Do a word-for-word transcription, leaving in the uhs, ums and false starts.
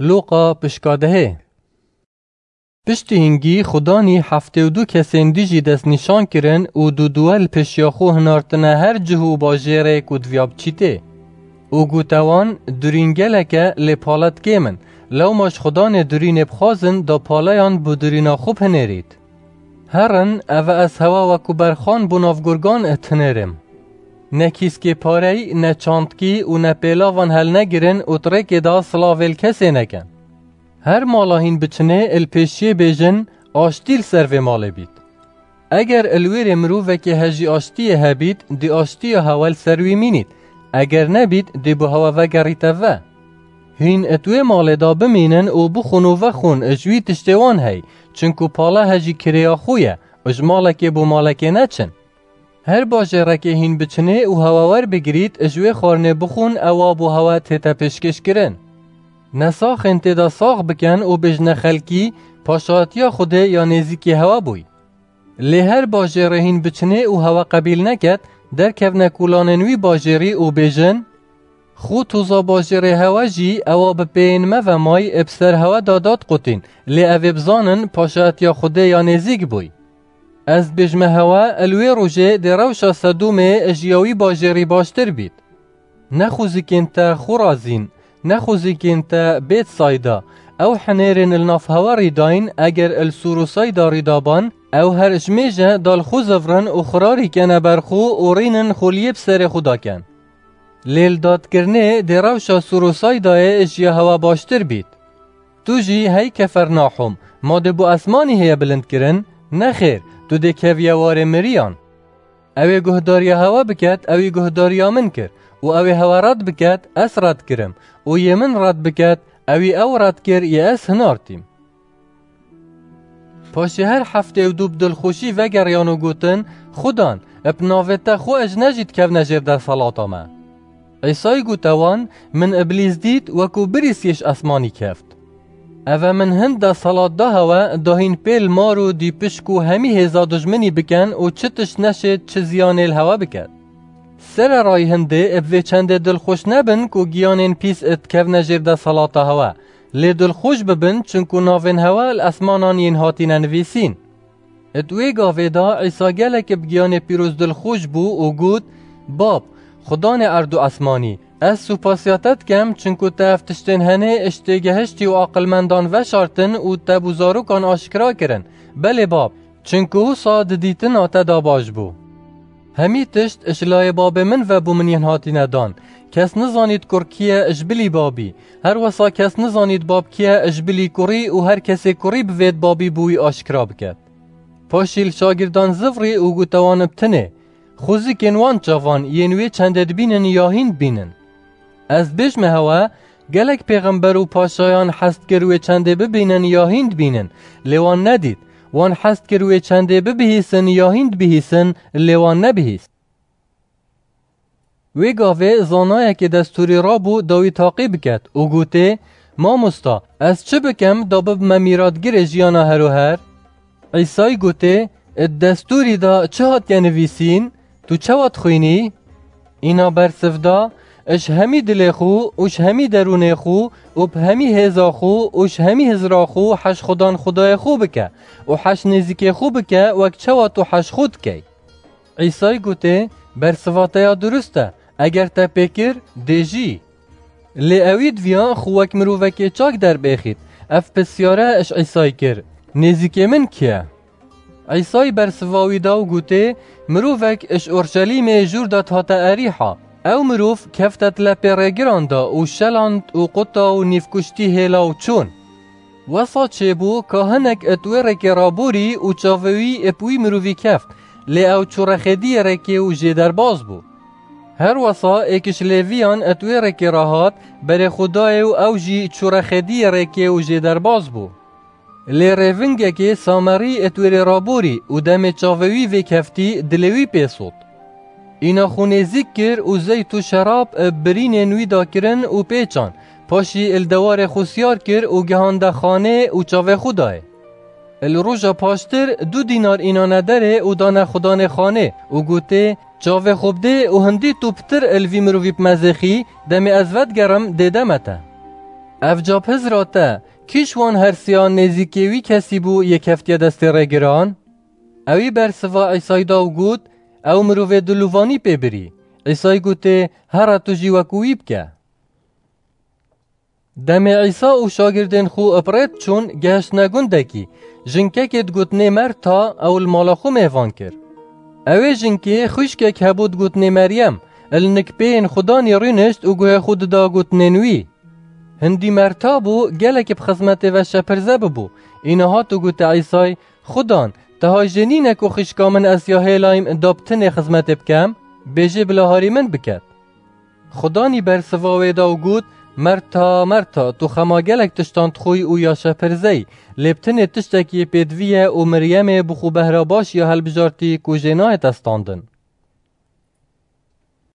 Lûqa pişka dehê. Piştî hingî Xudanî heftê û du kesên dî jî destnîşan kirin û du duwe li pêşiya xwe hinartine her cih û bajêrê ku diviya biçîtê. Û gote wan, durîn gelek e, lê pale di kêm in. Lewma ji Xudanê durînê bixwazin, da paleyan bi durîna xwe bihinêrît. Herin, eve ez hewa wekû berxan bo nav gurgan dihinêrim. Ne kîskê parey, ne çantkî û ne pêlavan helnegirin û di rêkê de silavê li kesê nekin. Her mala hîn biçinê, li pêşiyê bêjin, aştî li ser vê malê bît. Eger li wêrê mirovekê hejî aştiyê hebît, dê aştiya hewa li ser wî mînît. Eger nebît, dê bo hewa vegerîte ve. Hîn di wê malê de bimînin û bixwin û vexwin, ji wî tiştê wan hey, çinku pale hejî kirêya xwe ye, ji malekê bo malekê neçin. Her bajêrekê hîn biçinê û hewa werbigirît, ji wê xwarinê bixwin, ewa bo hewa tête pêşkêşkirin. Ne saxên tê de sax bikin û bêjine xelkî, paşatiya Xwedê ya nêzîkî hewa bûy. Lê her bajêrê hîn biçinê û hewa qebîl neket, derkevne kolanên wî bajêrî û bêjin, xwe toza bajêrê hewa jî ewa bi pêyên me ve may, bi ser hewa de dad qutîn, lê ev ê bizanin, paşatiya Xwedê ya nêzîk bûy. Ez dibêjime hewa, li wê rojê dê rewşa Sedomê ji ya wî bajêrî baştir bît. Ne xwezikên te Xorazîn, ne xwezikên te Bêtsayda, ew hinêrên li nav hewa rîdayîn, eger li Sûr û Sayda rîdaban, ew her ji mêje da li xwe zivrin û xirarî kene ber xwe û rînin xoliyê bi serê xwe daken. Lê li dadkirinê dê rewşa Sûr û Saydayê ji ya hewa baştir bît. Tu jî hey Kefernahûm, ma dê bo esmanî heye bilindkirin? Nexêr, tu dê keviye warê miriyan. Ew ê guhdariya hewa biket, ewî guhdariya min kir, û ew ê hewa red biket, ez red kirim, û yê min red biket, ewî ew red kir, yê ez hinartîm. Paşê her heftê û du bi dilxweşî vegeriyan û gotin, Xudan, bi navê te xwe ez ne jî dikevne jêr desalata me. Îsayî gote wan, Min Îblîs dît, wekû birîsiyê ji esmanî keft. Eve min hin desalat da hewe, da hîn pêl mar û dî pişk û hemî hêza dijminî bikin û çi tişt neşêt, çi ziyanê li hewe biket. Sererayî hindê bi vê çendê dilxweş nebin ku giyanên pîs dikevne jêr desalata hewe. Lê dilxweş bibin, çinku navên hewe li esmanan yên hatine nivîsîn. Di wê gavê de Îsa gelek bi giyanê pîroz dilxweş bû û got, Bab, Xudanê erd û esmanî, ez supasiya te dikem, çinku te ev tiştên henê ji têgehiştî û aqilmendan veşartin û te bo zarokan aşkera kirin. Belê Bab, çinku wisa di dîtina te de baş bû. Hemî tişt ji layê Babê min ve bo min yên hatine dan. Kes nizanît kur kî ye ji bilî Babî. Her wisa kes nizanît Bab kî ye ji bilî kurî û her kesê kurî bivêt Babî bo wî aşkera biket. Paşî li şagirdan zivrî û gote wan, Bi tinê, xwezikên wan çavan yên wê çendê dibînin ya hîn dibînin. Ez dibêjime hewe, gelek pêxember û paşayan hest kir wê çendê bibînin ya hîn dibînin, lê wan nedît. Wan hest kir wê çendê bibihîsin ya hîn dibihîsin, lê wan nebihîst. Wê gavê zanayekê destûrî rabû da wî taqî biket û gotê, Mamosta, ez çi bikem da bibime mîratgirê jiyana her û her? Îsayî gotê, Di destûrî de çi hatiye nivîsîn? Tu çawa dixwînî? Îna bersiv da, Ji hemî dilê xwe û ji hemî derûnê xwe û bi hemî hêza xwe û ji hemî hizra xwe heş Xudan Xwedayê xwe bike û heş nêzîkê xwe bike wek çawa tu heş xwe dikey. Îsayî gotê, Bersiva te ya durust e, eger te pê kir, dê jî. Lê ewî diviya xwe wek mirovekê çak derbêxît. Ev pirsyare ji Îsayî kir, Nêzîkê min kî ye? Îsayî bersiva wî da û gotê, Mirovek ji Orşelîmê jûr de dihate Erîha. Ew mirov kefte di lepê rêgiran de û şeland û quta û nîvkuştî hêla û çûn. Wesa çêbû ka hinek di wê rêkê raborî û çavê wî bi wî mirovî keft, lê ew çû rexêdiyê rêkê û jê derbas bû. Her wesa êk ji Lêviyan di wê rêkê re hat, berê xwe dayê û ew jî çû rexêdiyê rêkê û jê derbas bû. Lê rêvingekê Samerî di wê rê raborî û demê çavê wî vêkeftî, dilê wî pê sot. Îna xwe nêzîk kir û zeyt û şerab bi birînên wî da kirin û pê çan, paşî li dewarê xwe siyar kir û gihande xanê û çavê xwe dayê. Li roja paştir du dînar înane derê û dane xudanê xanê û gotê, Çavê xwe bidê û hindî tu pitir li vî mirovî bimezêxî, demê ez vedigerim dê deme te. Ev ca bi hizra te, kî ji wan her siyan nêzîkê wî kesî bû yê keftiye destê rêgiran? Ewî bersiva Îsayî da û got, Ew mirovê dilûvanî pê birî. Îsayî gotê, Here tu jî wekû wî bike. Demê Îsa û şagirdên xwe bi rê diçûn, gehiştine gundekî. Jinkekê digotinê Merta, ew li mala xwe mêvan kir. Ewê jinkê xwişkek hebû digotinê Meryem, li nikpeyên Xudanî rûnişt û guhê xwe dida gotinên wî. Hindî Merta bû, gelekî bi xizmetê ve şepirze bibû. Îna hat û gote Îsay, Xudan, te hay jê nîne ku xwişka min ez ya hêlayim da bi tinê xizmetê bikem? Bêjê bila harî min biket. Xudanî bersiva wê da û got, Merta, Merta, tu xema gelek tiştan dixwî û ya şepirzeyî, lê bi tinê tiştekî pêdivî ye û Miryemê bi xwe behra baş ya hilbijartî ku jê nayê testandin.